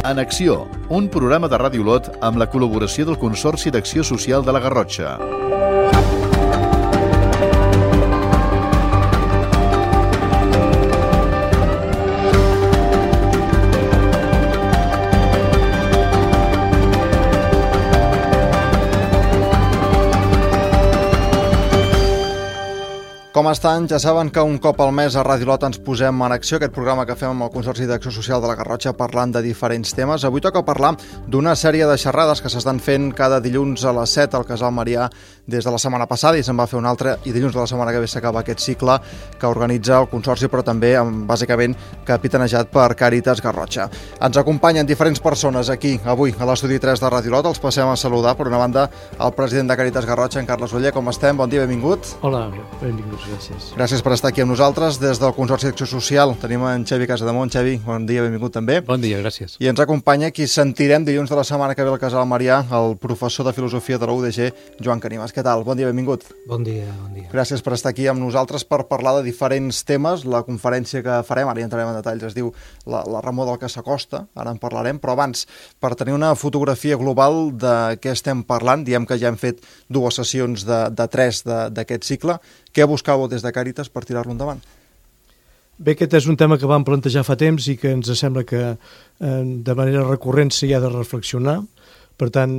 En Acció, un programa de Ràdio Olot amb la col·laboració del Consorci d'Acció Social de la Garrotxa. Com estan? Ja saben que un cop al mes a Ràdio Olot ens posem en acció, aquest programa que fem amb el Consorci d'Acció Social de la Garrotxa parlant de diferents temes. Avui toca parlar d'una sèrie de xerrades que s'estan fent cada dilluns a les 7 al Casal Marià des de la setmana passada i se'n va fer una altra i dilluns de la setmana que ve s'acaba aquest cicle que organitza el Consorci però també bàsicament capitanejat per Càritas Garrotxa. Ens acompanyen diferents persones aquí avui a l'estudi 3 de Ràdio Olot. Els passem a saludar per una banda el president de Càritas Garrotxa, en Carles Oller. Com estem? Bon dia, benvingut. Hola, benvinguts. Gràcies. Gràcies per estar aquí amb nosaltres. Des del Consorci d'Acció Social tenim en Xavi Casademont. Xavi, bon dia, benvingut també. Bon dia, gràcies. I ens acompanya qui sentirem dilluns de la setmana que ve al Casal Marià, el professor de Filosofia de la UDG, Joan Canimas. Què tal? Bon dia, benvingut. Bon dia, bon dia. Gràcies per estar aquí amb nosaltres per parlar de diferents temes. La conferència que farem, ara hi entrarem en detalls, es diu la remor del que s'acosta, ara en parlarem, però abans, per tenir una fotografia global de què estem parlant, diem que ja hem fet dues sessions de 3 d'aquest cicle. Què buscàveu des de Càritas per tirar-lo endavant? Bé, aquest és un tema que vam plantejar fa temps i que ens sembla que de manera recurrent s'hi ha de reflexionar. Per tant,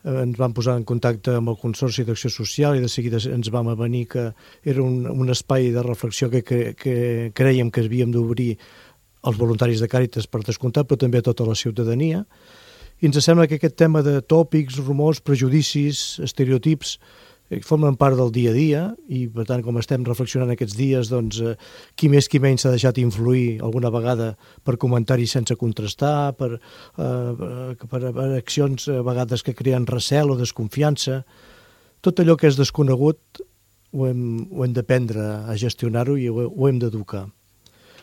ens vam posar en contacte amb el Consorci d'Acció Social i de seguida ens vam avenir que era un espai de reflexió que creiem que havíem d'obrir als voluntaris de Càritas per descomptat, però també a tota la ciutadania. I ens sembla que aquest tema de tòpics, rumors, prejudicis, estereotips formen part del dia a dia i, per tant, com estem reflexionant aquests dies, doncs, qui més qui menys s'ha deixat influir alguna vegada per comentaris sense contrastar, per accions a vegades que creen recel o desconfiança. Tot allò que és desconegut ho hem d'aprendre a gestionar-ho i ho hem d'educar.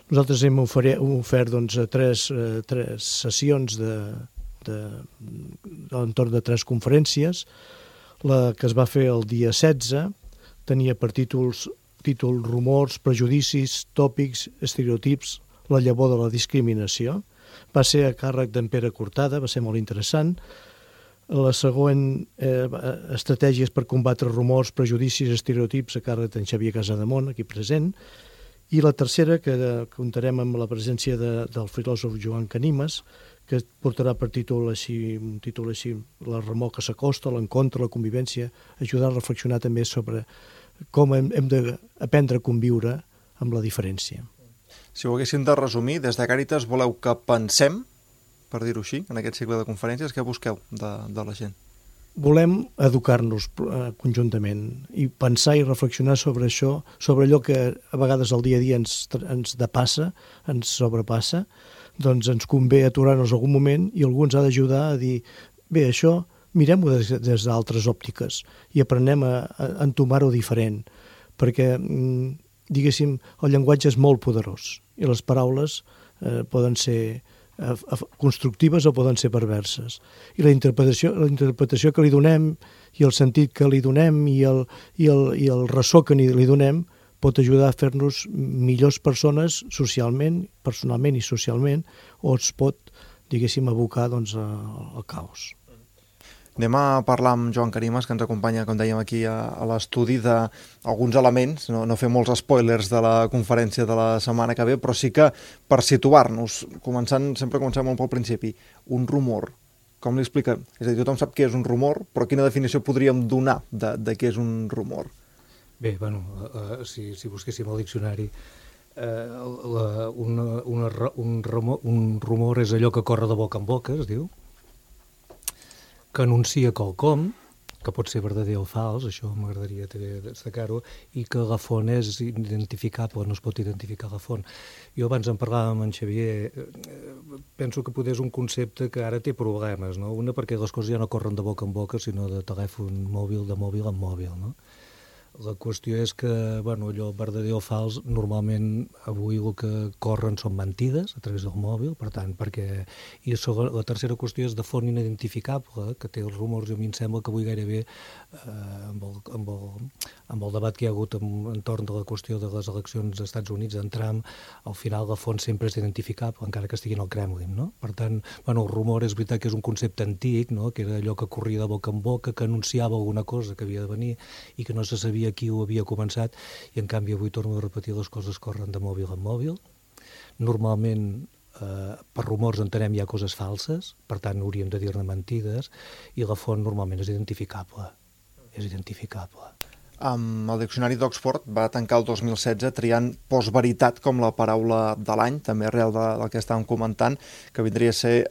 Nosaltres hem ofert doncs, tres sessions entorn de 3 conferències. La que es va fer el dia 16 tenia per títol Rumors, prejudicis, tòpics, estereotips, la llavor de la discriminació. Va ser a càrrec d'en Pere Cortada, va ser molt interessant. La següent, estratègies per combatre rumors, prejudicis, estereotips, a càrrec d'en Xavier Casademont, aquí present. I la tercera, que comptarem amb la presència del filòsof Joan Canimas, que portarà per un títol així, la remor que s'acosta, l'encontre, la convivència, ajudar a reflexionar també sobre com hem d'aprendre a conviure amb la diferència. Si ho haguéssim de resumir, des de Càritas voleu que pensem, per dir-ho així, en aquest cicle de conferències, què busqueu de la gent? Volem educar-nos conjuntament i pensar i reflexionar sobre això, sobre allò que a vegades el dia a dia ens depassa, ens sobrepassa, doncs ens convé aturar-nos algun moment i algú ens ha d'ajudar a dir bé, això mirem-ho des d'altres òptiques i aprenem a entomar-ho diferent, perquè, diguéssim, el llenguatge és molt poderós i les paraules poden ser constructives o poden ser perverses. I la interpretació que li donem i el sentit que li donem i el ressò que li donem pot ajudar a fer-nos millors persones socialment, personalment i socialment, o es pot, diguéssim, abocar doncs, al caos. Anem a parlar amb Joan Canimas, que ens acompanya, com dèiem aquí a l'estudi, d'alguns elements, no fer molts spoilers de la conferència de la setmana que ve, però sí que per situar-nos, sempre comencem molt pel principi, un rumor, com li explica? És a dir, tothom sap què és un rumor, però quina definició podríem donar de què és un rumor? Bé, bueno, si busquéssim al diccionari, un rumor és allò que corre de boca en boca, es diu, que anuncia quelcom, que pot ser verdader o fals, això m'agradaria destacar-ho, i que la font és identificable, no es pot identificar la font. Jo abans en parlàvem amb en Xavier, penso que potser és un concepte que ara té problemes, no? Una, perquè les coses ja no corren de boca en boca, sinó de telèfon mòbil, de mòbil en mòbil, no? La qüestió és que, bueno, allò verdader o fals, normalment avui el que corren són mentides a través del mòbil, per tant, perquè... I la tercera qüestió és de font inidentificable, que té els rumors, i a mi em sembla que avui gairebé, amb el debat que hi ha hagut entorn de la qüestió de les eleccions als Estats Units, d'en Trump, al final la font sempre és identificable, encara que estigui en el Kremlin, no? Per tant, bueno, el rumor és veritat que és un concepte antic, no? Que era allò que corria de boca en boca, que anunciava alguna cosa que havia de venir i que no se sabia qui ho havia començat, i en canvi avui torno a repetir, les coses corren de mòbil en mòbil. Normalment per rumors entenem hi ha coses falses, per tant hauríem de dir-ne mentides, i la font normalment és identificable. És identificable. El Diccionari d'Oxford va tancar el 2016 triant postveritat com la paraula de l'any, també arrel del que estàvem comentant, que vindria a ser,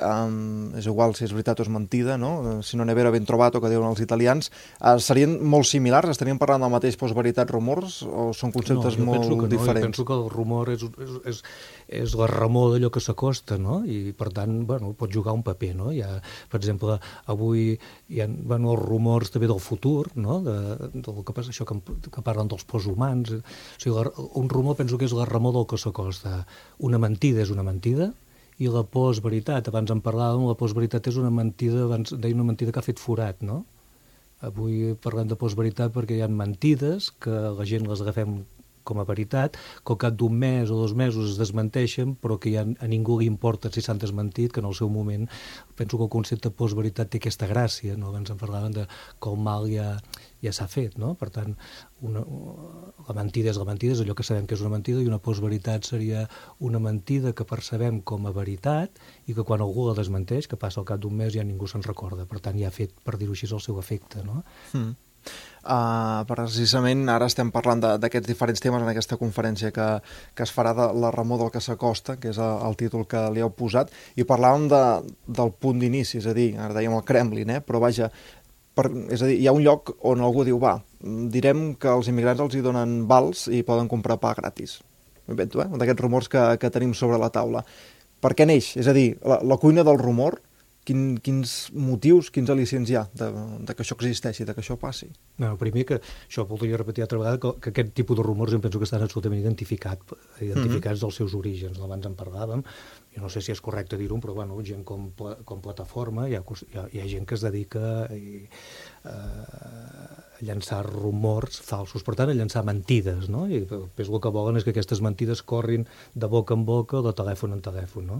és igual si és veritat o és mentida, no? Si non è vero ben trovato, que diuen els italians. Serien molt similars? Estaríem parlant del mateix postveritat rumors o són conceptes molt diferents? Jo penso que el rumor és la remor d'allò que s'acosta, no? I per tant, bueno, pot jugar un paper, no? Hi ha, per exemple, avui hi ha, bueno, els rumors també del futur, no? Del que passa, això que parlen dels posthumans. O sigui, un rumor penso que és la remor del que s'acosta. Una mentida és una mentida, i la postveritat, abans en parlàvem, la postveritat és una mentida, abans deia una mentida que ha fet forat, no? Avui parlem de postveritat perquè hi ha mentides que la gent les agafem com a veritat, que al cap d'un mes o 2 mesos es desmenteixen, però que ja a ningú li importa si s'han desmentit, que en el seu moment penso que el concepte postveritat té aquesta gràcia, no? Abans en parlaven de que el mal ja s'ha fet, no? Per tant, la mentida és allò que sabem que és una mentida, i una postveritat seria una mentida que percebem com a veritat i que quan algú la desmenteix, que passa al cap d'un mes, ja ningú se'n recorda. Per tant, ja ha fet, per dir-ho així, el seu efecte, no? Precisament ara estem parlant d'aquests diferents temes en aquesta conferència que es farà de la remor del que s'acosta, que és el títol que li heu posat, i parlàvem del punt d'inici, és a dir, ara dèiem el Kremlin, però vaja, és a dir, hi ha un lloc on algú diu, direm que els immigrants els hi donen vals i poden comprar pa gratis. M'invento, d'aquests rumors que tenim sobre la taula. Per què neix? És a dir, la cuina del rumor, quins motius, quins al·licients hi ha de que això existeixi, de que això passi? No, primer que això voldria repetir altra vegada, que aquest tipus de rumors em penso que estan absolutament identificats dels seus orígens. Abans en parlàvem, jo no sé si és correcte dir-ho, però bueno, gent com Plataforma, hi ha gent que es dedica a llançar rumors falsos, per tant, a llançar mentides, no? I el que volen és que aquestes mentides corrin de boca en boca o de telèfon en telèfon, no?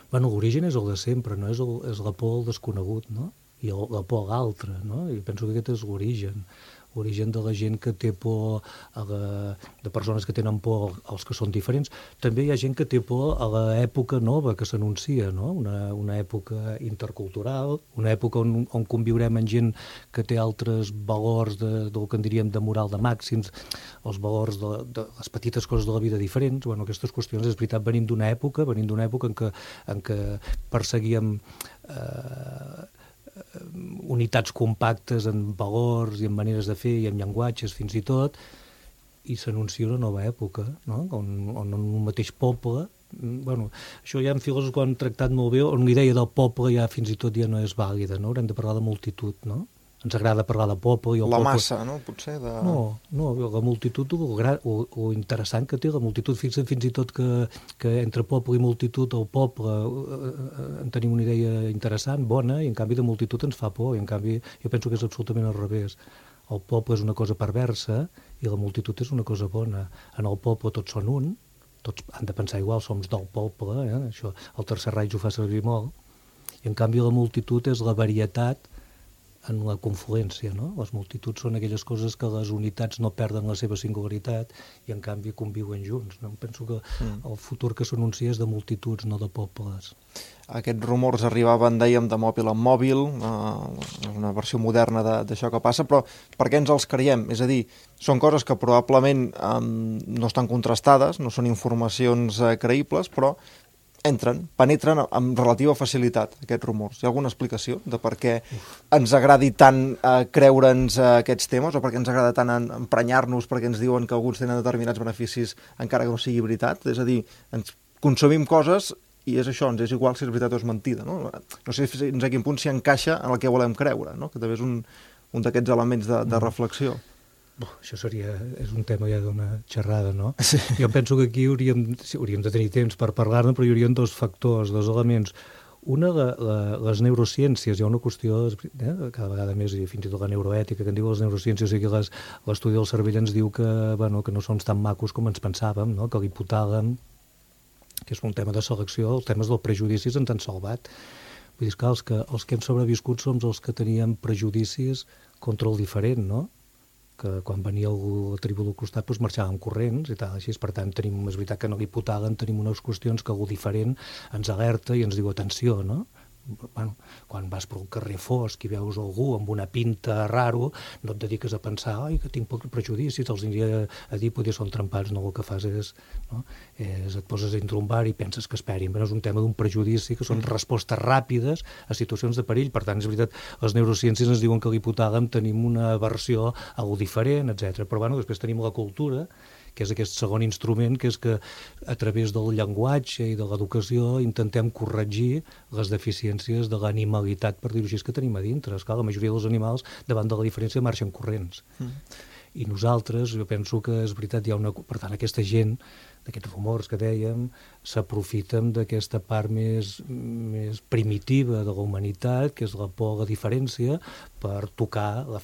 Bueno, l'origen és el de sempre, no? És la por al desconegut, no? I la por a l'altre, no? I penso que aquest és l'origen de la gent que té por, de persones que tenen por als que són diferents. També hi ha gent que té por a l'època nova que s'anuncia, no? Una època intercultural, una època on conviurem amb gent que té altres valors del que en diríem de moral de màxims, els valors de les petites coses de la vida diferents. Bueno, aquestes qüestions, és veritat, venim d'una època en què perseguíem unitats compactes en valors i en maneres de fer i en llenguatges fins i tot, i s'anuncia una nova època, no? On un mateix poble, bueno, això ja en filòsofs que ho han tractat molt bé, on l'idea del poble ja fins i tot ja no és vàlida, no? Haurem de parlar de multitud, no? Ens agrada parlar de poble i el la poble... massa, no? Potser de... No, la multitud, o interessant que té la multitud, fins i tot que entre poble i multitud, el poble en tenim una idea interessant, bona, i en canvi de multitud ens fa por, i en canvi jo penso que és absolutament al revés. El poble és una cosa perversa i la multitud és una cosa bona. En el poble tots són un, tots han de pensar igual, som del poble, això el Tercer Reich ho fa servir molt, i en canvi la multitud és la varietat en la confluència, no? Les multituds són aquelles coses que les unitats no perden la seva singularitat i en canvi conviuen junts, no? Penso que el futur que s'anuncia és de multituds, no de pobles. Aquests rumors arribaven, dèiem, de mòbil en mòbil, una versió moderna d'això que passa, però per què ens els creiem? És a dir, són coses que probablement no estan contrastades, no són informacions creïbles, però penetren amb relativa facilitat aquests rumors. Hi ha alguna explicació de per què ens agradi tant creure'ns aquests temes o per què ens agrada tant emprenyar-nos perquè ens diuen que alguns tenen determinats beneficis encara que no sigui veritat? És a dir, ens consumim coses i és això, ens és igual si és veritat o és mentida, no? No sé fins a quin punt s'hi encaixa en el que volem creure, no? Que també és un un d'aquests elements de reflexió. Això és un tema ja d'una xerrada, no? Sí. Jo penso que aquí hauríem de tenir temps per parlar-ne, però hi haurien dos factors, dos elements. Una, les neurociències, hi ha una qüestió, cada vegada més, i fins i tot la neuroètica, que en diu les neurociències, o sigui, l'estudi del cervell ens diu que no som tan macos com ens pensàvem, no? Que l'hipotàlem, que és un tema de selecció, els temes dels prejudicis ens han salvat. Vull dir, els que hem sobreviscut som els que teníem prejudicis contra el diferent, no? Que quan venia algú a la tribu del costat doncs marxàvem corrents i tal, així. Per tant, és veritat que en l'hipotàlem tenim unes qüestions que algú diferent ens alerta i ens diu atenció, no? Bueno, quan vas per un carrer fosc i veus algú amb una pinta raro, no et dediques a pensar que tinc pocs prejudicis, els aniria a dir potser són trempats, no? El que fas és et poses dintre un bar i penses que esperin. Però és un tema d'un prejudici, que són respostes ràpides a situacions de perill. Per tant, és veritat, les neurociències ens diuen que a l'hipotàlem tenim una aversió a algú diferent, etc. Però després tenim la cultura, que és aquest segon instrument, que és que a través del llenguatge i de l'educació intentem corregir les deficiències de l'animalitat, per dir-ho així, que tenim a dintre. Esclar, la majoria dels animals, davant de la diferència, marxen corrents. I nosaltres, jo penso que és veritat, per tant, aquesta gent, d'aquests rumors que dèiem, s'aprofiten d'aquesta part més primitiva de la humanitat, que és la por a la diferència, per tocar la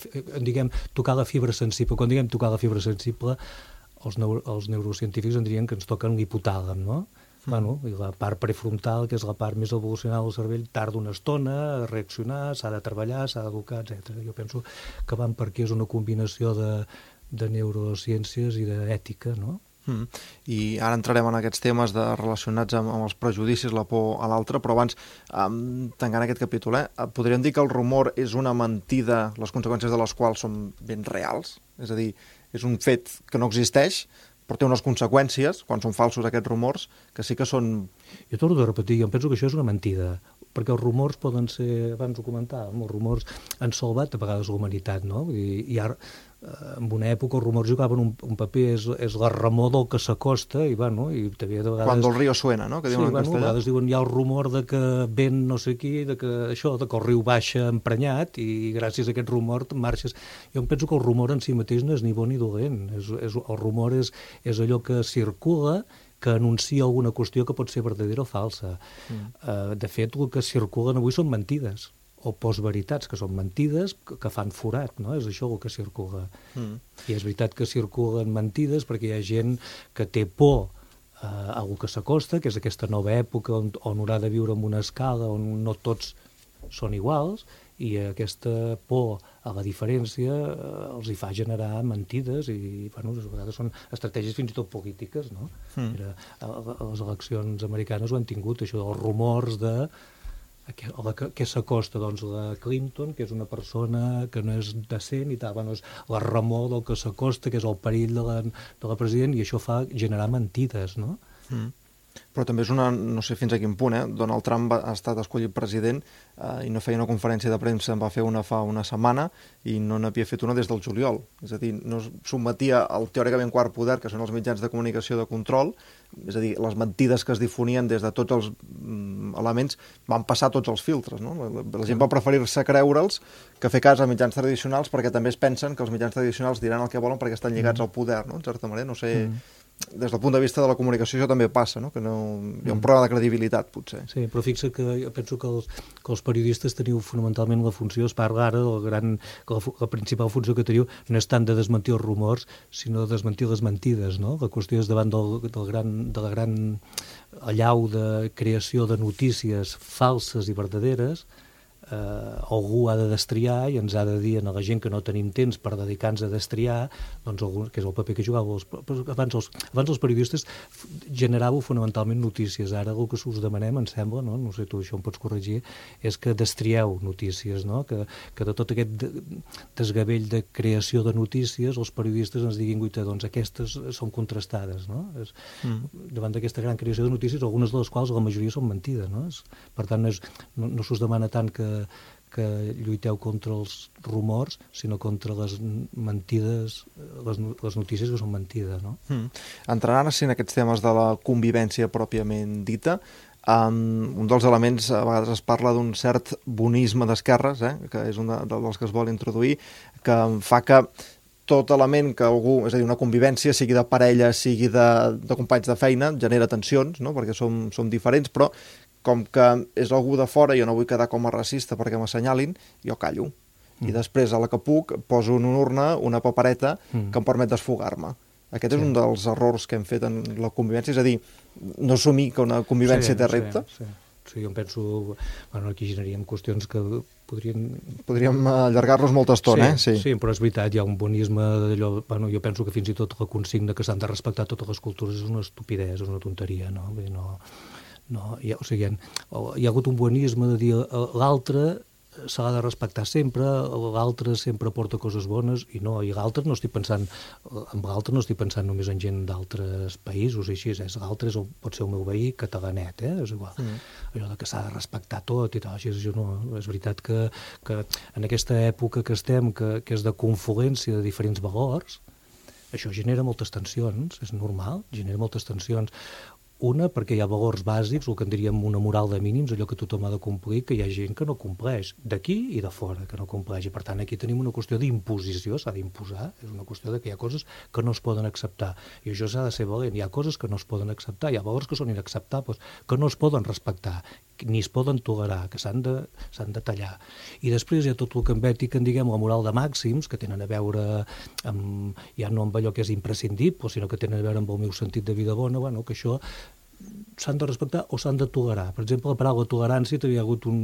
fibra sensible. Quan diguem tocar la fibra sensible, els neurocientífics en dirien que ens toquen l'hipotàlem, no? I la part prefrontal, que és la part més evolucionada del cervell, tarda una estona a reaccionar, s'ha de treballar, s'ha d'educar, etc. Jo penso que van per aquí és una combinació de neurociències i d'ètica, no? I ara entrarem en aquests temes relacionats amb els prejudicis, la por a l'altre, però abans, tancant aquest capítol, podríem dir que el rumor és una mentida, les conseqüències de les quals són ben reals? És a dir, és un fet que no existeix, però té unes conseqüències, quan són falsos aquests rumors, que sí que són... Jo torno a repetir, jo penso que això és una mentida, perquè els rumors poden ser, abans ho comentàvem, els rumors han salvat a vegades la humanitat, no? I ara, en una època, els rumors jugaven un paper, és la remor del que s'acosta, i també de vegades... Quan el riu suena, no? Que diuen en castellà. A vegades diuen, hi ha el rumor de que vent no sé qui, de que el riu baixa emprenyat, i gràcies a aquest rumor marxes... Jo em penso que el rumor en si mateix no és ni bo ni dolent. El rumor és allò que circula, que anuncia alguna qüestió que pot ser verdadera o falsa. De fet, el que circulen avui són mentides, o postveritats, que són mentides que fan forat, no? És això el que circula. I és veritat que circulen mentides perquè hi ha gent que té por a algú que s'acosta, que és aquesta nova època on haurà de viure en una escala on no tots són iguals, i aquesta por a la diferència els hi fa generar mentides i, a vegades són estratègies fins i tot polítiques, no? Les eleccions americanes ho han tingut, això dels rumors de què s'acosta, doncs la Clinton, que és una persona que no és decent i tal, és la remor del que s'acosta, que és el perill de la president, i això fa generar mentides, no? Però també és no sé fins a quin punt, Donald Trump ha estat escollit president i no feia una conferència de premsa, en va fer una fa una setmana i no n'havia fet una des del juliol. És a dir, no es sotmetia al teòricament quart poder, que són els mitjans de comunicació de control, és a dir, les mentides que es difonien des de tots els elements van passar tots els filtres, no? La gent va preferir-se creure'ls que fer cas a mitjans tradicionals, perquè també es pensen que els mitjans tradicionals diran el que volen perquè estan lligats al poder, no? En certa manera, no sé... Des del punt de vista de la comunicació això també passa, no? Que hi ha un problema de credibilitat, potser. Sí, però fixa que jo penso que els periodistes teniu fonamentalment la funció, es parla ara que la principal funció que teniu no és tant de desmentir els rumors, sinó de desmentir les mentides, no? La qüestió és davant de la gran allau de creació de notícies falses i verdaderes, algú ha de destriar i ens ha de dir a la gent que no tenim temps per dedicar-nos a destriar, doncs que és el paper que jugàveu. Abans els periodistes generàveu fonamentalment notícies. Ara el que us demanem, em sembla, no sé, tu això em pots corregir, és que destrieu notícies, no? Que de tot aquest desgavell de creació de notícies els periodistes ens diguin, doncs aquestes són contrastades, no? Davant d'aquesta gran creació de notícies, algunes de les quals la majoria són mentides, no? Per tant, no s'us demana tant que lluiteu contra els rumors, sinó contra les mentides, les notícies que són mentides, no? Entrant ara en aquests temes de la convivència pròpiament dita, Un dels elements, a vegades es parla d'un cert bonisme d'esquerres, que és un dels que es vol introduir, que fa que tot element que algú, és a dir, una convivència, sigui de parella, sigui de companys de feina, genera tensions, no? Perquè som diferents, però com que és algú de fora, jo no vull quedar com a racista perquè m'assenyalin, jo callo. I després, a la que puc, poso en una urna una papereta que em permet desfogar-me. Aquest és un dels errors que hem fet en la convivència, és a dir, no assumir que una convivència té repte. Sí, jo em penso... Bueno, aquí generaríem qüestions que podríem allargar-los molta estona, sí, però és veritat, hi ha un bonisme d'allò... Bueno, jo penso que fins i tot la consigna que s'han de respectar totes les cultures és una estupidesa, és una tonteria, no? Vull dir, o sigui, hi ha hagut un bonisme de dir l'altre se l'ha de respectar sempre, l'altre sempre porta coses bones, i l'altre no estic pensant, amb l'altre no estic pensant només en gent d'altres països, i així, l'altre pot ser el meu veí catalanet, és igual. Allò que s'ha de respectar tot i tal, així, és veritat que en aquesta època que estem, que és de confluència de diferents valors, això genera moltes tensions, és normal, genera moltes tensions. Una, perquè hi ha valors bàsics, el que en diríem una moral de mínims, allò que tothom ha de complir, que hi ha gent que no compleix, d'aquí i de fora, que no compleix. I per tant, aquí tenim una qüestió d'imposició, s'ha d'imposar, és una qüestió de que hi ha coses que no es poden acceptar. I això s'ha de ser valent. Hi ha coses que no es poden acceptar, hi ha valors que són inacceptables, que no es poden respectar, ni es poden tolerar, que s'han de tallar. I després hi ha tot el que en ètica en diguem la moral de màxims, que tenen a veure amb, ja no amb allò que és imprescindible, sinó que tenen a veure amb el meu sentit de vida bona, bueno, que això s'han de respectar o s'han de tolerar. Per exemple, la paraula tolerància, hi ha hagut a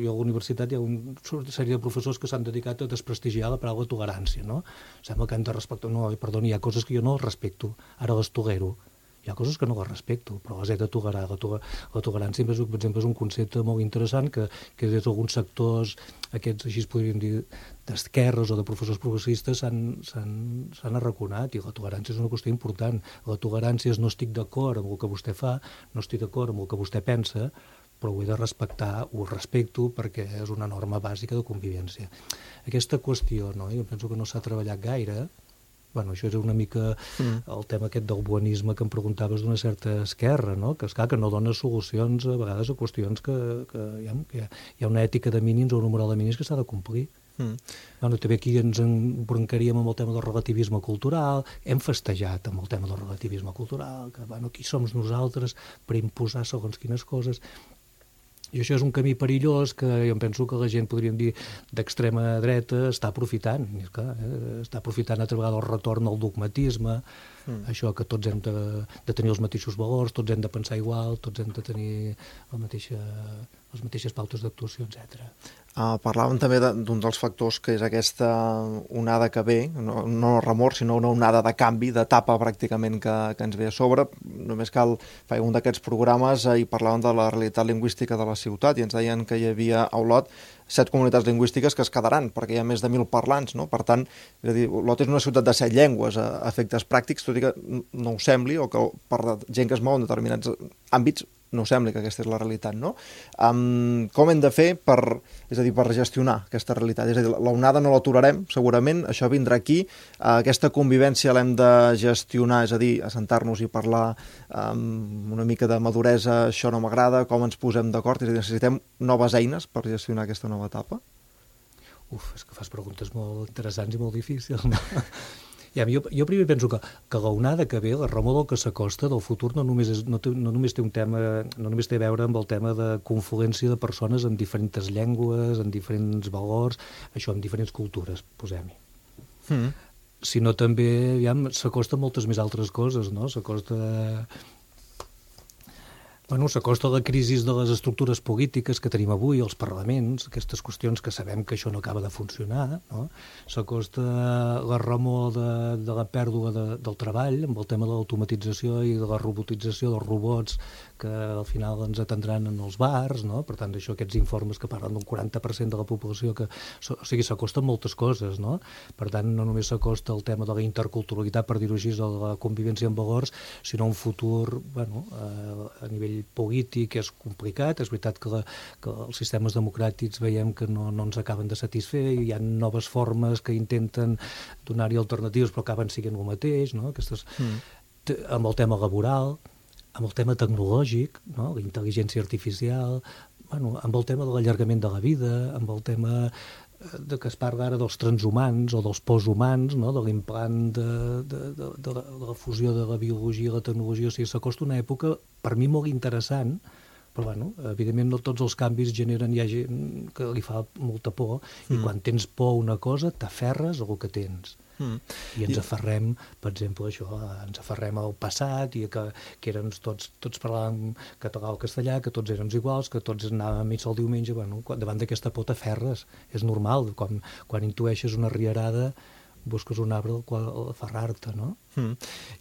la universitat hi ha una sèrie de professors que s'han dedicat a desprestigiar la paraula tolerància, no? Sembla que hem de respectar... No, perdoni, hi ha coses que jo no respecto, ara les tolero. Hi ha coses que no les respecto, però les he de tolerar. La tolerància, per exemple, és un concepte molt interessant que des d'alguns sectors, aquests, així es podríem dir, d'esquerres o de professors progressistes s'han arraconat, i la tolerància és una qüestió important. La tolerància és no estic d'acord amb el que vostè fa, no estic d'acord amb el que vostè pensa, però ho he de respectar, ho respecto perquè és una norma bàsica de convivència. Aquesta qüestió, no? Jo penso que no s'ha treballat gaire. Bueno, això és una mica el tema aquest del bonisme que em preguntaves d'una certa esquerra, no? Que és clar que no dona solucions a vegades a qüestions que hi ha una ètica de mínims o una moral de mínims que s'ha de complir. Bueno, també aquí ens embroncaríem amb el tema del relativisme cultural, hem festejat amb el tema del relativisme cultural, que bueno, qui som nosaltres per imposar segons quines coses. I això és un camí perillós que jo penso que la gent, podríem dir, d'extrema dreta està aprofitant. I és clar, està aprofitant altra vegada el retorn al dogmatisme, això que tots hem de tenir els mateixos valors, tots hem de pensar igual, tots hem de tenir les mateixes pautes d'actuació, etc. Parlàvem també d'un dels factors que és aquesta onada que ve, no remor, sinó una onada de canvi, d'etapa pràcticament que ens ve a sobre. Només cal fer un d'aquests programes i parlàvem de la realitat lingüística de la ciutat i ens deien que hi havia a Olot 7 comunitats lingüístiques que es quedaran, perquè hi ha més de 1.000 parlants, no? Per tant, és a dir, Olot és una ciutat de 7 llengües a efectes pràctics, tot i que no ho sembli, o que per gent que es mou en determinats àmbits no sembla que aquesta és la realitat, no? Com hem de fer per gestionar aquesta realitat? És a dir, l'onada no l'aturarem, segurament, això vindrà aquí, aquesta convivència l'hem de gestionar, és a dir, assentar-nos i parlar amb una mica de maduresa, això no m'agrada, com ens posem d'acord, és a dir, necessitem noves eines per gestionar aquesta nova etapa? És que fas preguntes molt interessants i molt difícils, no? Jo primer penso que l'onada que ve, la remor del que s'acosta del futur no només té a veure amb el tema de confluència de persones en diferents llengües, en diferents valors, això, en diferents cultures, posem-hi. Sinó també, s'acosta a moltes més altres coses, no? S'acosta a la crisi de les estructures polítiques que tenim avui, els parlaments, aquestes qüestions que sabem que això no acaba de funcionar, no? S'acosta la remor de la pèrdua del treball, amb el tema de l'automatització i de la robotització dels robots que al final ens atendran en els bars, no? Per tant, aquests informes que parlen d'un 40% de la població, o sigui, s'acosten moltes coses, no? Per tant, no només s'acosta el tema de la interculturalitat, per dir-ho així, de la convivència amb valors, sinó un futur, a nivell polític és complicat. És veritat que els sistemes democràtics veiem que no ens acaben de satisfer, hi ha noves formes que intenten donar-hi alternatives però acaben sent el mateix, no? Amb el tema laboral, amb el tema tecnològic, no? La intel·ligència artificial, bueno, amb el tema de l'allargament de la vida, amb el tema de que es parla ara dels transhumans o dels posthumans, no? De l'implant de la fusió de la biologia i la tecnologia. O sigui, s'acosta una època, per mi, molt interessant, però, bueno, evidentment no tots els canvis generen, hi ha gent que li fa molta por, i quan tens por a una cosa, t'aferres al que tens. I ens aferrem, per exemple, això, ens aferrem al passat, i que érem tots parlàvem català o castellà, que tots érem iguals, que tots anàvem a missa el diumenge. Bueno, davant d'aquesta por t'aferres, és normal, quan intueixes una rierada, busques un arbre al qual aferrar-te, no?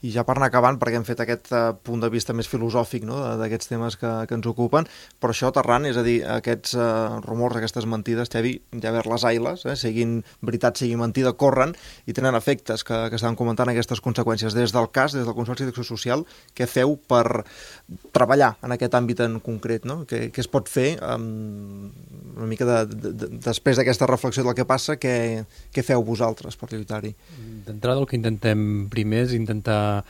I ja per anar acabant, perquè hem fet aquest punt de vista més filosòfic, no?, d'aquests temes que ens ocupen, però això aterrant, és a dir, aquests rumors, aquestes mentides, Xavi, ja ver les ailes, siguin veritat, sigui mentida, corren i tenen efectes que estàvem comentant, aquestes conseqüències. Des del cas, des del Consorci d'Acció Social, què feu per treballar en aquest àmbit en concret, no? Què es pot fer una mica després d'aquesta reflexió del que passa, què feu vosaltres per lluitar-hi? D'entrada, el que intentem primer és intentar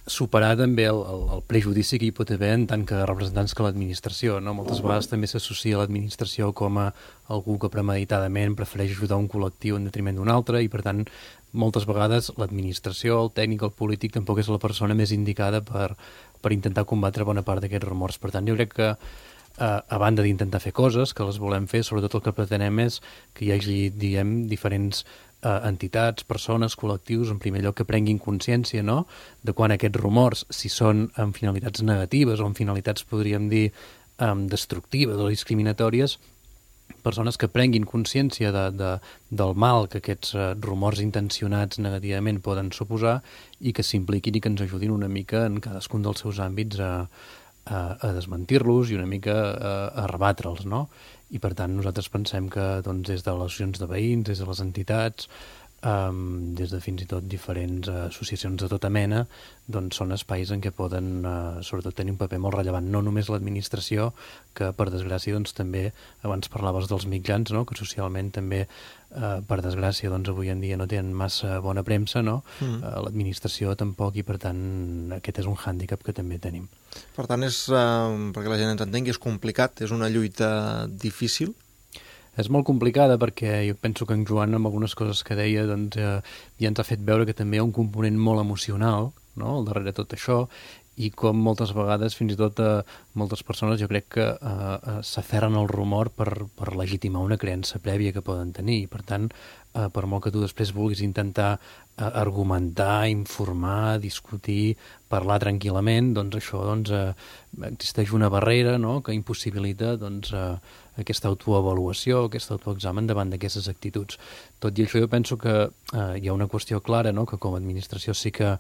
superar també el prejudici que hi pot haver en tant que representants que l'administració, no? Moltes vegades també s'associa l'administració com a algú que premeditadament prefereix ajudar un col·lectiu en detriment d'un altre, i per tant moltes vegades l'administració, el tècnic, el polític tampoc és la persona més indicada per intentar combatre bona part d'aquests rumors. Per tant, jo crec que a banda d'intentar fer coses, que les volem fer, sobretot el que pretenem és que hi hagi, diguem, diferents entitats, persones, col·lectius, en primer lloc que prenguin consciència, no?, de quan aquests rumors, si són amb finalitats negatives o amb finalitats, podríem dir, destructives o discriminatòries, persones que prenguin consciència del mal que aquests rumors intencionats negativament poden suposar, i que s'impliquin i que ens ajudin una mica en cadascun dels seus àmbits a desmentir-los i una mica a rebatre'ls, no? I per tant nosaltres pensem que des de les associacions de veïns, des de les entitats, des de fins i tot diferents associacions de tota mena, doncs són espais en què poden sobretot tenir un paper molt rellevant, no només l'administració, que per desgràcia doncs també, abans parlaves dels mitjans, no?, que socialment també per desgràcia doncs avui en dia no tenen massa bona premsa, no? L'administració tampoc, i per tant aquest és un hàndicap que també tenim. Per tant, perquè la gent ens entengui, és complicat, és una lluita difícil? És molt complicada perquè jo penso que en Joan, amb algunes coses que deia, doncs, ja ens ha fet veure que també hi ha un component molt emocional, no?, al darrere de tot això, i com moltes vegades, fins i tot moltes persones, jo crec que s'aferren al rumor per legitimar una creença prèvia que poden tenir. I per tant, per molt que tu després vulguis intentar argumentar, informar, discutir, parlar tranquil·lament, doncs això existeix una barrera, no?, que impossibilita aquesta autoavaluació, aquest autoexamen davant d'aquestes actituds. Tot i això, jo penso que hi ha una qüestió clara, no?, que com a administració sí que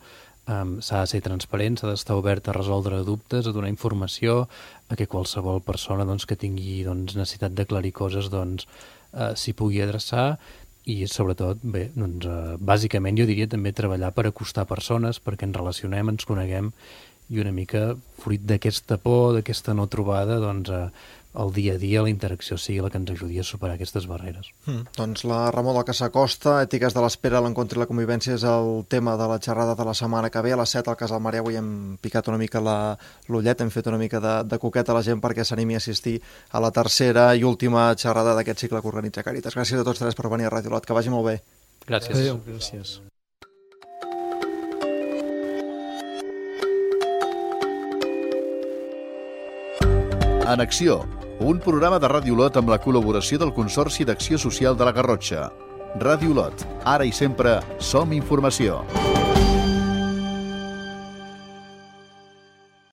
s'ha de ser transparent, s'ha d'estar obert a resoldre dubtes, a donar informació, a que qualsevol persona que tingui necessitat d'aclarir coses s'hi pugui adreçar, i sobretot, bé, bàsicament jo diria també treballar per acostar persones, perquè ens relacionem, ens coneguem, i una mica fruit d'aquesta por, d'aquesta no trobada, el dia a dia, la interacció sigui la que ens ajudi a superar aquestes barreres. Doncs la remor del que s'acosta, ètiques de l'espera, l'encontre i la convivència, és el tema de la xerrada de la setmana que ve. A les 7 al Casal Mare avui hem picat una mica l'ullet, hem fet una mica de coqueta a la gent perquè s'animi a assistir a la tercera i última xerrada d'aquest cicle que organitza Càritas. Gràcies a tots tres per venir a Ràdio Lot, que vagi molt bé. Gràcies. Adéu, gràcies. En acció, un programa de Ràdio Lot amb la col·laboració del Consorci d'Acció Social de la Garrotxa. Ràdio Lot, ara i sempre som informació.